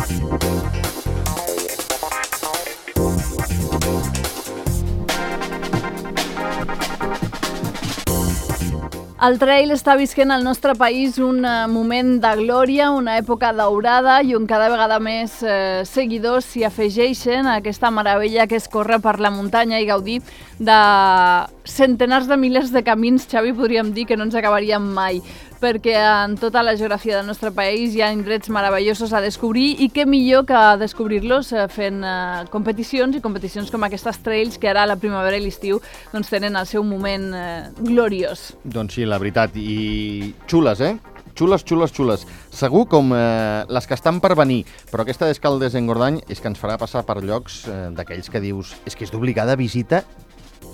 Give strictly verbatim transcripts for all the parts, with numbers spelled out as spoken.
El trail està visquent al nostre país un moment de glòria, una època daurada i on cada vegada més eh, seguidors s'hi afegeixen a aquesta meravella que és córrer per la muntanya i gaudir de centenars de milers de camins, Xavi, podríem dir que no ens acabaríem mai, perquè en tota la geografia del nostre país hi ha indrets meravellosos a descobrir i què millor que descobrir-los fent eh, competicions i competicions com aquestes trails que ara a la primavera i l'estiu doncs, tenen el seu moment eh, gloriós. Doncs sí, la veritat, i xules, eh? Xules, xules, xules. Segur com eh, les que estan per venir, però aquesta d'Escaldes-Engordany és que ens farà passar per llocs eh, d'aquells que dius és que és d'obligada visita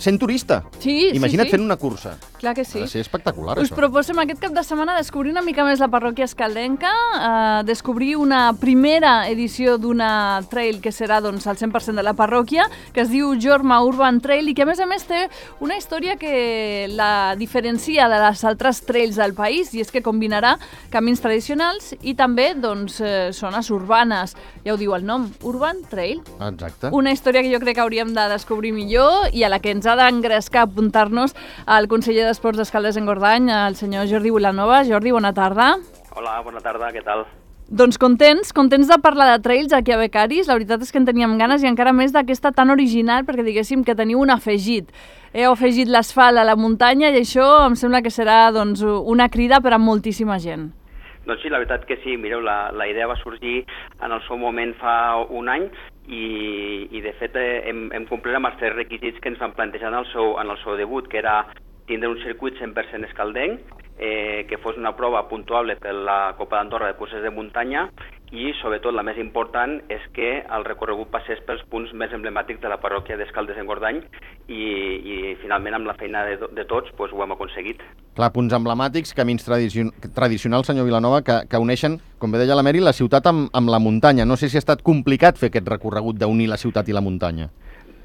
sent turista. Sí, Imagina't sí, sí. fent una cursa. Clar que sí. Ha de ser espectacular, Us això. proposem aquest cap de setmana descobrir una mica més la parròquia escaldenca, eh, descobrir una primera edició d'una trail que serà doncs, al cent per cent de la parròquia, que es diu Jorma Urban Trail i que a més a més té una història que la diferencia de les altres trails del país i és que combinarà camins tradicionals i també doncs, eh, zones urbanes. Ja ho diu el nom, Urban Trail. Exacte. Una història que jo crec que hauríem de descobrir millor i a la que ens ha d'engrescar apuntar-nos al conseller d'Esports d'Escaldes-Engordany, el senyor Jordi Vilanova. Jordi, bona tarda. Hola, bona tarda, què tal? Doncs contents, contents de parlar de trails aquí a Becaris. La veritat és que en teníem ganes i encara més d'aquesta tan original perquè diguéssim que teniu un afegit. Heu afegit l'asfalt a la muntanya i això em sembla que serà doncs, una crida per a moltíssima gent. Doncs sí, la veritat que sí. Mireu, la, la idea va sorgir en el seu moment fa un any i, i de fet eh, hem, hem complert amb els tres requisits que ens van plantejar en el seu, en el seu debut, que era tindre un circuit cent per cent escaldenc, eh, que fos una prova puntuable per la Copa d'Andorra de curses de muntanya i, sobretot, la més important és que el recorregut passés pels punts més emblemàtics de la parròquia d'Escaldes-Engordany i, i, finalment, amb la feina de, de tots, doncs, ho hem aconseguit. Clar, punts emblemàtics, camins tradicion tradicionals, senyor Vilanova, que, que uneixen, com bé deia la Meri, la ciutat amb, amb la muntanya. No sé si ha estat complicat fer aquest recorregut d'unir la ciutat i la muntanya.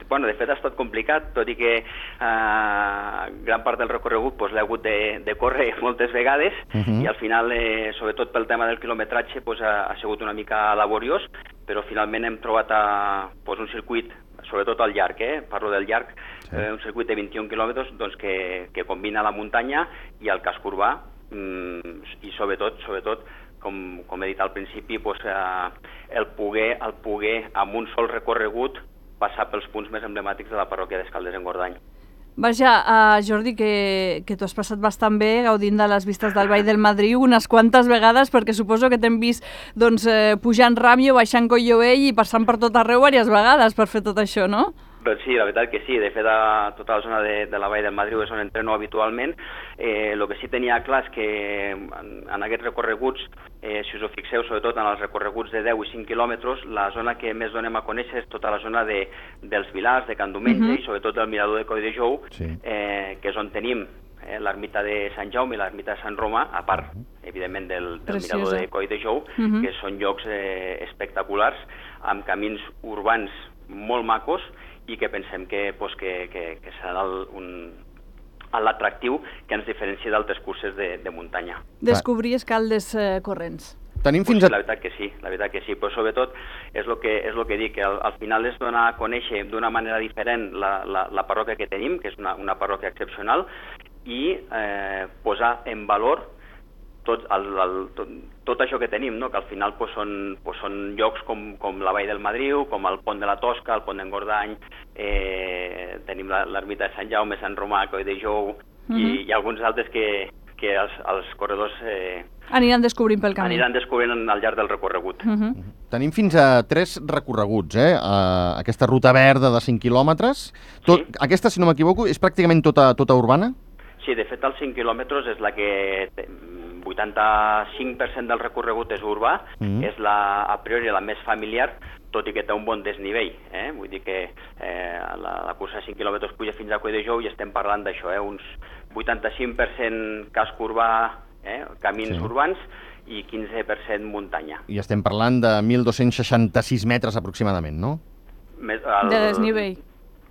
Bueno, de fet ha estat complicat, tot i que eh, gran part del recorregut pues, l'he hagut de, de córrer moltes vegades uh -huh. i al final, eh, sobretot pel tema del quilometratge, pues, ha, ha sigut una mica laboriós, però finalment hem trobat a, pues, un circuit, sobretot al llarg, eh? parlo del llarg, sí. eh, un circuit de vint-i-un quilòmetres doncs, que, que combina la muntanya i el casc urbà mm, i sobretot, sobretot com, com he dit al principi, pues, eh, el poder, el poder amb un sol recorregut passar pels punts més emblemàtics de la parròquia d'Escaldes-Engordany. Vaja, uh, Jordi, que, que tu has passat bastant bé gaudint de les vistes del Vall del Madriu unes quantes vegades, perquè suposo que t'hem vist doncs, eh, pujant Ràmio, baixant Collovell i passant per tot arreu diverses vegades per fer tot això, no? Doncs sí, la veritat que sí. De fet, a tota la zona de, de la Vall del Madriu és on entreno habitualment. Eh, el que sí tenia clar és que en, en aquests recorreguts, eh, si us ho fixeu, sobretot en els recorreguts de deu i cinc quilòmetres, la zona que més donem a conèixer és tota la zona de, dels Vilars, de Can Domenge, uh-huh. i sobretot del Mirador de Coll de Jou, sí. eh, que és on tenim eh, l'ermita de Sant Jaume i l'ermita de Sant Romà, a part, uh-huh. evidentment, del, del Mirador de Coll de Jou, uh-huh. que són llocs eh, espectaculars, amb camins urbans molt macos, i que pensem que, pues, que, que, que serà el, un, l'atractiu que ens diferencia d'altres curses de, de muntanya. Descobrir escaldes eh, corrents. Tenim fins pues a... La veritat que sí, la veritat que sí, però sobretot és el que, és lo que dic, que al, al final és donar a conèixer d'una manera diferent la, la, la parròquia que tenim, que és una, una parròquia excepcional, i eh, posar en valor tot, el, el, tot, tot això que tenim, no? Que al final pues, són, pues, són llocs com, com la Vall del Madriu, com el Pont de la Tosca, el Pont d'Engordany, eh, tenim l'ermita de Sant Jaume, Sant Romà, Coll de Jou, uh-huh. i, i alguns altres que, que els, els corredors eh, aniran descobrint pel camí. Aniran descobrint al llarg del recorregut. Uh-huh. Tenim fins a tres recorreguts, eh? Uh, aquesta ruta verda de cinc quilòmetres. Tot, sí. Aquesta, si no m'equivoco, és pràcticament tota, tota urbana? Sí, de fet, els cinc quilòmetres és la que... vuitanta-cinc per cent del recorregut és urbà, mm. és la, a priori la més familiar, tot i que té un bon desnivell. Eh? Vull dir que eh, la, la cursa de cinc quilòmetres puja fins a Coll de Jou i estem parlant d'això, eh? Uns vuitanta-cinc per cent casc urbà, eh? camins sí. urbans, i quinze per cent muntanya. I estem parlant de mil dos-cents seixanta-sis metres aproximadament, no? Més, el, de desnivell.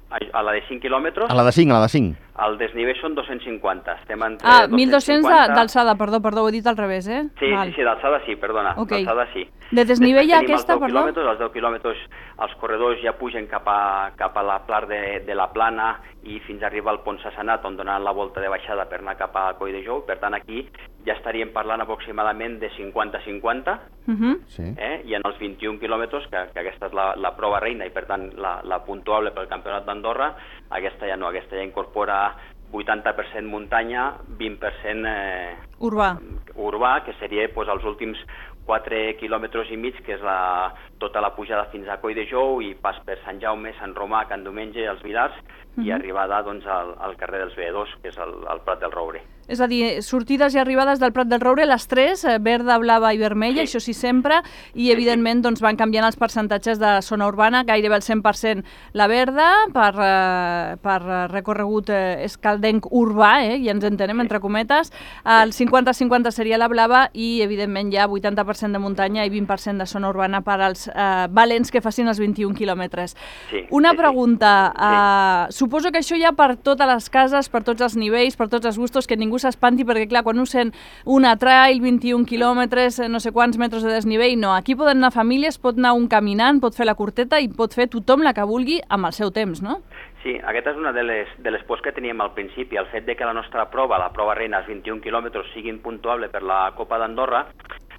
A, a la de cinc quilòmetres? A la de cinc, a la de cinc. El desnivell són dos-cents cinquanta. Estem entre Ah, mil dos-cents cinquanta... d'alçada, perdó, perdó, ho he dit al revés, eh? Sí, Val. sí, sí, d'alçada sí, perdona, Okay. d'alçada sí. De desnivell Després aquesta, tenim els deu perdó? quilòmetres, els deu quilòmetres, els corredors ja pugen cap a, cap a la part de, de la Plana i fins a arribar al Pont Sassanat, on donaran la volta de baixada per anar cap a Coll de Jou. Per tant, aquí ja estaríem parlant aproximadament de cinquanta cinquanta, Uh -huh. Sí. eh? I en els vint-i-un quilòmetres, que, que aquesta és la, la prova reina i per tant la, la puntuable pel Campionat d'Andorra, aquesta ja no, aquesta ja incorpora vuitanta per cent muntanya, vint per cent eh, Urbà. urbà, que seria pues, els últims quatre quilòmetres i mig, que és la, tota la pujada fins a Coll de Jou i pas per Sant Jaume, Sant Romà, Can Domenge, els Vilars, uh -huh. i arribada doncs, al, al carrer dels Veedors, que és el, el Prat del Roure. És a dir, sortides i arribades del Prat del Roure, les tres, eh, verda, blava i vermella, Sí. això sí sempre, i evidentment doncs, van canviant els percentatges de zona urbana, gairebé el cent per cent la verda, per, eh, per recorregut eh, escaldenc urbà, eh, ja ens entenem, entre cometes, el cinquanta cinquanta seria la blava i evidentment ja vuitanta per cent de muntanya i vint per cent de zona urbana per als eh, valents que facin els vint-i-un quilòmetres. Sí, Una sí, sí. pregunta, eh, suposo que això ja per totes les cases, per tots els nivells, per tots els gustos, que ningú s'espanti, perquè clar, quan ho sent una trail, vint-i-un quilòmetres, no sé quants metres de desnivell, no, aquí poden anar famílies, pot anar un caminant, pot fer la curteta i pot fer tothom la que vulgui amb el seu temps, no? Sí, aquesta és una de les, de les pors que teníem al principi, el fet de que la nostra prova, la prova reina, els vint-i-un quilòmetres, siguin puntuable per la Copa d'Andorra.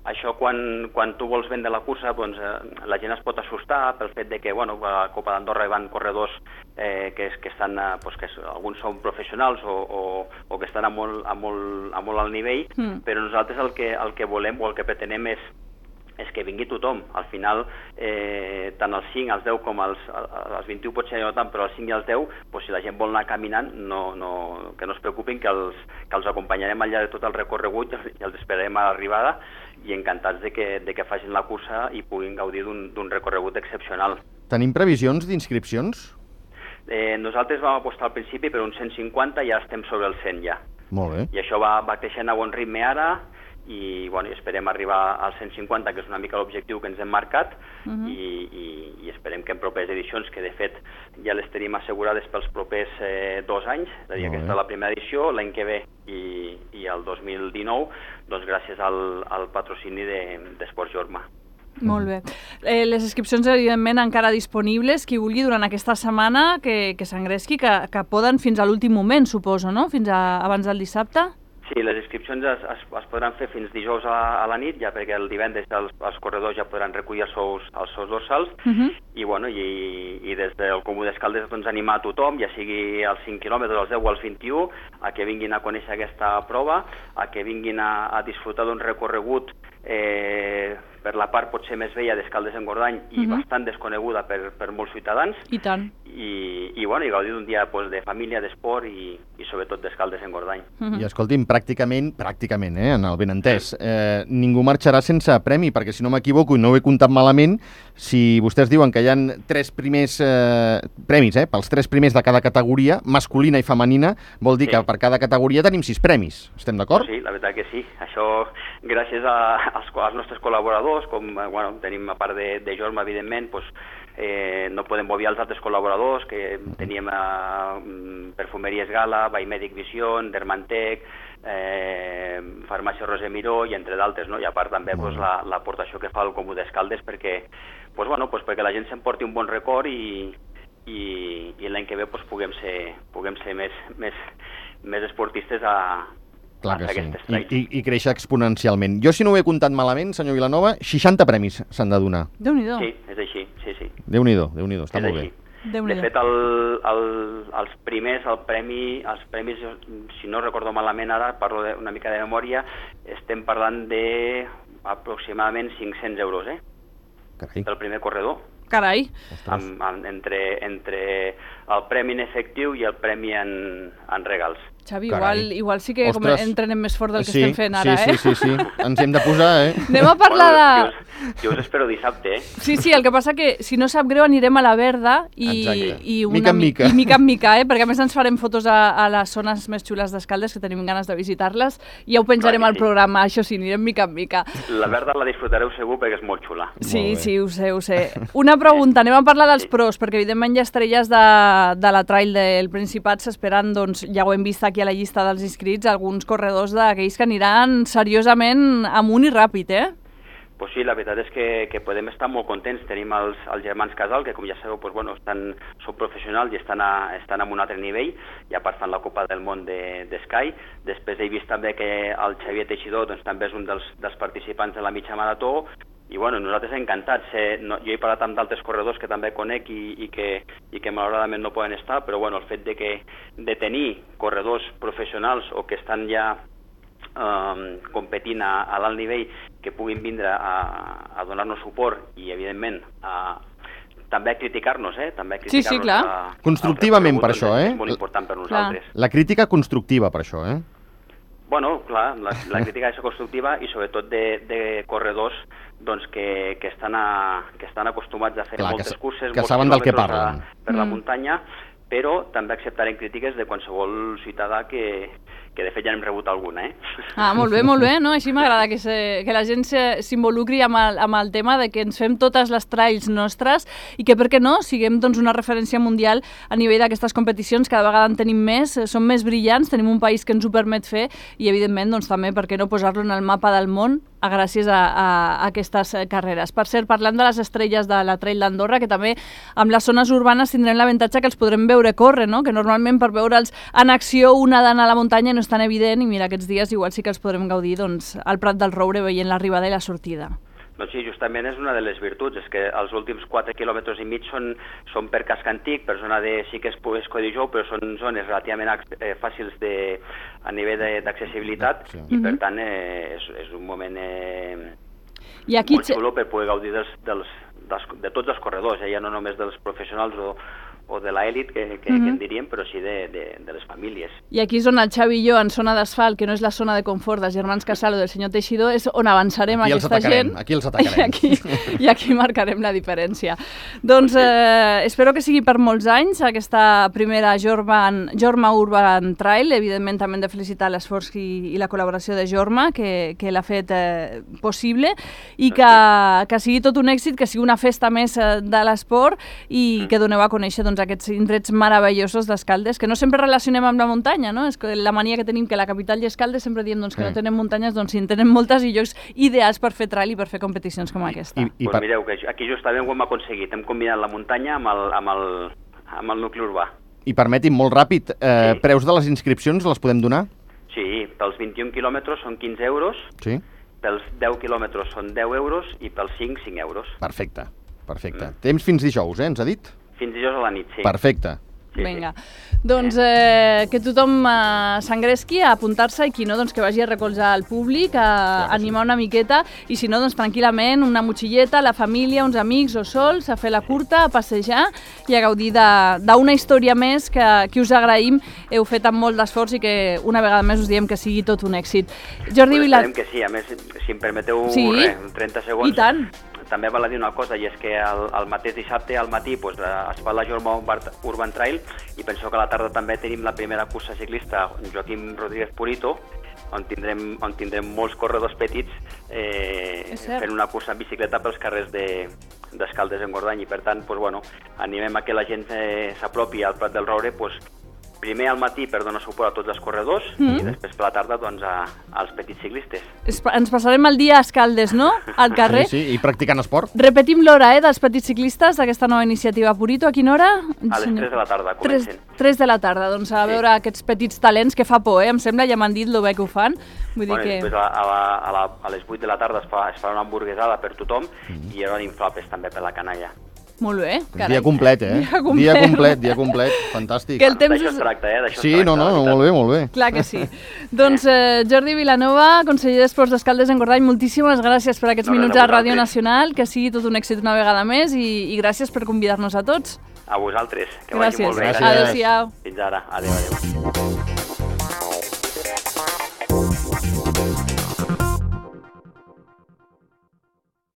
Això quan, quan tu vols vendre la cursa, doncs, eh, la gent es pot assustar pel fet de que, bueno, a la Copa d'Andorra hi van corredors eh, que, que estan, eh, pues, que alguns són professionals o, o, o que estan a molt, a molt, a molt alt nivell, mm. però nosaltres el que, el que volem o el que pretenem és és que vingui tothom. Al final, eh, tant els cinc, els deu com els, els vint-i-un pot ser no tant, però els cinc i els deu, doncs, si la gent vol anar caminant, no, no, que no es preocupin, que els, que els acompanyarem al llarg de tot el recorregut i els esperarem a l'arribada i encantats de que, de que facin la cursa i puguin gaudir d'un recorregut excepcional. Tenim previsions d'inscripcions? Eh, nosaltres vam apostar al principi per uns cent cinquanta i ja estem sobre els cent ja. Molt bé. I això va, va creixent a bon ritme ara, i, bueno, i esperem arribar als cent cinquanta, que és una mica l'objectiu que ens hem marcat, uh -huh. i, i, i esperem que en properes edicions, que de fet ja les tenim assegurades pels propers eh, dos anys, és a dir, aquesta és la primera edició, l'any que ve i, i el dos mil dinou, doncs gràcies al, al patrocini d'Esports Jorma. Molt bé. Eh, les inscripcions, evidentment, encara disponibles. Qui vulgui durant aquesta setmana que, que s'engresqui, que, que poden fins a l'últim moment, suposo, no? Fins a, abans del dissabte? Sí, les inscripcions es, es, es podran fer fins dijous a, a la nit, ja perquè el divendres els, els corredors ja podran recollir els seus, els seus dorsals, uh -huh. i, bueno, i, i des del Comú d'Escaldes doncs, animar a tothom, ja sigui als cinc quilòmetres, als deu o als vint-i-un, a que vinguin a conèixer aquesta prova, a que vinguin a, a disfrutar d'un recorregut eh, per la part potser més vella d'Escaldes-Engordany i uh -huh. bastant desconeguda per, per molts ciutadans. I tant. I, i, bueno, i gaudir d'un dia pues, de família, d'esport i, i sobretot d'Escaldes-Engordany. Uh -huh. I escolti'm, pràcticament, pràcticament, eh, en el benentès, eh, ningú marxarà sense premi, perquè si no m'equivoco i no ho he comptat malament, si vostès diuen que hi ha tres primers eh, premis, eh, pels tres primers de cada categoria, masculina i femenina, vol dir sí. que per cada categoria tenim sis premis. Estem d'acord? Sí, la veritat que sí. Això gràcies a, als, als nostres col·laboradors, com bueno, tenim a part de, de Jorma, evidentment, doncs, eh, no podem obviar els altres col·laboradors, que teníem a Perfumeries Gala, Baimèdic Vision, Dermantec, eh, Farmàcia Roser Miró i entre d'altres, no? I a part també pues, l'aportació que fa el Comú d'Escaldes perquè, pues, bueno, pues, perquè la gent s'emporti un bon record i, i, i l'any que ve pues, puguem ser, puguem ser més, més, més esportistes a, Clar a que sí. aquestes I, trails. i, I créixer exponencialment. Jo, si no ho he comptat malament, senyor Vilanova, seixanta premis s'han de donar. Déu-n'hi-do. Sí, és així, sí, sí. Déu-n'hi-do, Déu-n'hi-do, està és molt així. bé. De fet, el, el, els primers, el premi, els premis, si no recordo malament ara, parlo de, una mica de memòria, estem parlant de aproximadament cinc-cents euros, eh? Carai. Del primer corredor. Carai. Amb, amb, entre, entre el premi en efectiu i el premi en, en regals. Xavi, Carai. igual, igual sí que com Ostres. entrenem més fort del que sí, estem fent ara, sí, eh? Sí, sí, sí, ens hem de posar, eh? Anem a parlar de... Bueno, jo, us, jo us espero dissabte, eh? Sí, sí, el que passa que, si no sap greu, anirem a la Verda i, Exacte. i una Mica en mi- mica. i mica en mica, eh? Perquè a més ens farem fotos a, a les zones més xules d'Escaldes, que tenim ganes de visitar-les, i ja ho penjarem Clar al que sí. programa, això sí, anirem mica en mica. La verda la disfrutareu segur perquè és molt xula. Sí, Molt bé. sí, ho sé, ho sé. Una pregunta, anem a parlar dels Sí. pros, perquè evidentment hi ha estrelles de, de la trail del Principat s'esperen, doncs ja ho hem vist aquí a la llista dels inscrits, alguns corredors d'aquells que aniran seriosament amunt i ràpid, eh? Pues sí, la veritat és que, que podem estar molt contents. Tenim els, els germans Casal, que com ja sabeu, pues, bueno, estan, són professionals i estan, a, estan en un altre nivell, i a part fan la Copa del Món de, de Sky. Després he vist també que el Xavier Teixidor doncs, també és un dels, dels participants de la mitja marató, i bueno, nosaltres encantats. Eh, no, jo he parlat amb d'altres corredors que també conec i, i, que, i que malauradament no poden estar, però bueno, el fet de, que, de tenir corredors professionals o que estan ja um, competint a, a l'alt nivell, que puguin vindre a, a donar-nos suport i, evidentment, a, també a criticar-nos, eh? També a Sí, sí, criticar-nos clar. a- Constructivament al per això, recorregut, eh? És molt important per nosaltres. La crítica constructiva per això, eh? Bueno, clar, la, la crítica és constructiva i sobretot de, de corredors doncs, que, que, estan a, que estan acostumats a fer Clar, que moltes sa- curses, que molts saben del que quilòmetres parlen. a, per la Mm. muntanya, però també acceptarem crítiques de qualsevol ciutadà que, que de fet ja n'hem rebut alguna, eh? Ah, molt bé, molt bé, no? Així m'agrada que, se, que la gent se- s'involucri amb, el, amb el tema de que ens fem totes les trails nostres i que, per què no, siguem doncs, una referència mundial a nivell d'aquestes competicions, cada vegada en tenim més, eh, són més brillants, tenim un país que ens ho permet fer i, evidentment, doncs, també, per què no posar-lo en el mapa del món a gràcies a, a, a aquestes eh, carreres. Per cert, parlant de les estrelles de la Trail d'Andorra, que també amb les zones urbanes tindrem l'avantatge que els podrem veure córrer, no? Que normalment per veure'ls en acció una d'anar a la muntanya no és tan evident i mira, aquests dies igual sí que els podrem gaudir doncs, al Prat del Roure veient l'arribada i la sortida. Doncs sí, justament és una de les virtuts, és que els últims quatre quilòmetres i mig són, són per casc antic, per zona de, sí que és, és Codijou, però són zones relativament eh, fàcils de, a nivell de- d'accessibilitat, Sí. i per tant eh, és, és un moment eh, I aquí molt xulo per poder gaudir dels, dels, dels, de tots els corredors, eh? Ja no només dels professionals o, o de l'elit, que, que, Mhm. que en diríem, però sí de, de, de les famílies. I aquí és on el Xavi i jo, en zona d'asfalt, que no és la zona de confort dels germans Casal o del senyor Teixidor, és on avançarem Aquí els aquesta atacarem, gent. aquí els atacarem. I aquí, I aquí marcarem la diferència. Doncs eh, espero que sigui per molts anys aquesta primera Jorma, Jorma Urban Trail. Evidentment també hem de felicitar l'esforç i, i la col·laboració de Jorma, que, que l'ha fet eh, possible, i que, que sigui tot un èxit, que sigui una festa més eh, de l'esport i que doneu a conèixer doncs, aquests indrets meravellosos d'Escaldes, que no sempre relacionem amb la muntanya, no? És que la mania que tenim que la capital i Escaldes sempre diem doncs, que Sí. no tenen muntanyes, doncs sí, en tenen moltes i llocs ideals per fer trail i per fer competicions com aquesta. I, i Pues per... mireu, que aquí justament ho hem aconseguit, hem combinat la muntanya amb el, amb el, amb el nucli urbà. I permeti'm, molt ràpid, eh, Sí. preus de les inscripcions les podem donar? Sí, pels vint-i-un quilòmetres són quinze euros, Sí? pels deu quilòmetres són deu euros i pels cinc, cinc euros. Perfecte, perfecte. Temps fins dijous, eh, ens ha dit? Fins dijous a la nit, sí. Perfecte. Sí, Vinga, doncs eh, que tothom eh, s'engresqui a apuntar-se i qui no, doncs que vagi a recolzar el públic, a que animar una miqueta i si no, doncs tranquil·lament, una motxilleta, la família, uns amics o sols, a fer la curta, a passejar i a gaudir de- d'una història més que, que us agraïm, heu fet amb molt d'esforç i que una vegada més us diem que sigui tot un èxit. Jordi Pues Vilar... esperem que sí, a més, si em permeteu Sí. res, trenta segons. I tant. També val a dir una cosa, i és que el, el mateix dissabte al matí pues, es fa la Jorma Urban Trail i penso que a la tarda també tenim la primera cursa ciclista Joaquim Rodríguez Purito, on tindrem, on tindrem molts corredors petits eh, És cert. fent una cursa en bicicleta pels carrers de d'Escaldes en Gordany, i per tant pues, bueno, animem a que la gent eh, s'apropi al Prat del Roure pues, primer al matí per donar suport a tots els corredors Mm. i després per la tarda doncs, a, als petits ciclistes. Es- Ens passarem el dia a Escaldes, no?, al carrer. Sí, sí, i practicant esport. Repetim l'hora eh, dels petits ciclistes d'aquesta nova iniciativa Purito. A quina hora? A les tres de la tarda tres, comencen. tres de la tarda, doncs a Sí. veure aquests petits talents que fa por, eh? Em sembla, ja m'han dit lo bé que ho fan. Vull Bueno, dir i després que... a, a, la, a, la, a les vuit de la tarda es fa, es fa una hamburguesada per tothom Mm-hmm. i hi haurà inflables també per la canalla. Molt bé, carai. Dia complet, eh? Dia complet. Dia complet, dia complet. Fantàstic. Que el temps D'això és- es tracta, eh? D'això Sí, es tracta, no, no, la veritat. molt bé, molt bé. Clar que sí. Doncs eh, Jordi Vilanova, conseller d'Esports d'Escaldes en Gordany, moltíssimes gràcies per aquests No, res, minuts a a Ràdio vosaltres. Nacional, que sigui tot un èxit una vegada més i, i gràcies per convidar-nos a tots. A vosaltres, que vagi Gràcies. molt bé. Gràcies. Adéu-siau. Fins ara. Adéu, adéu.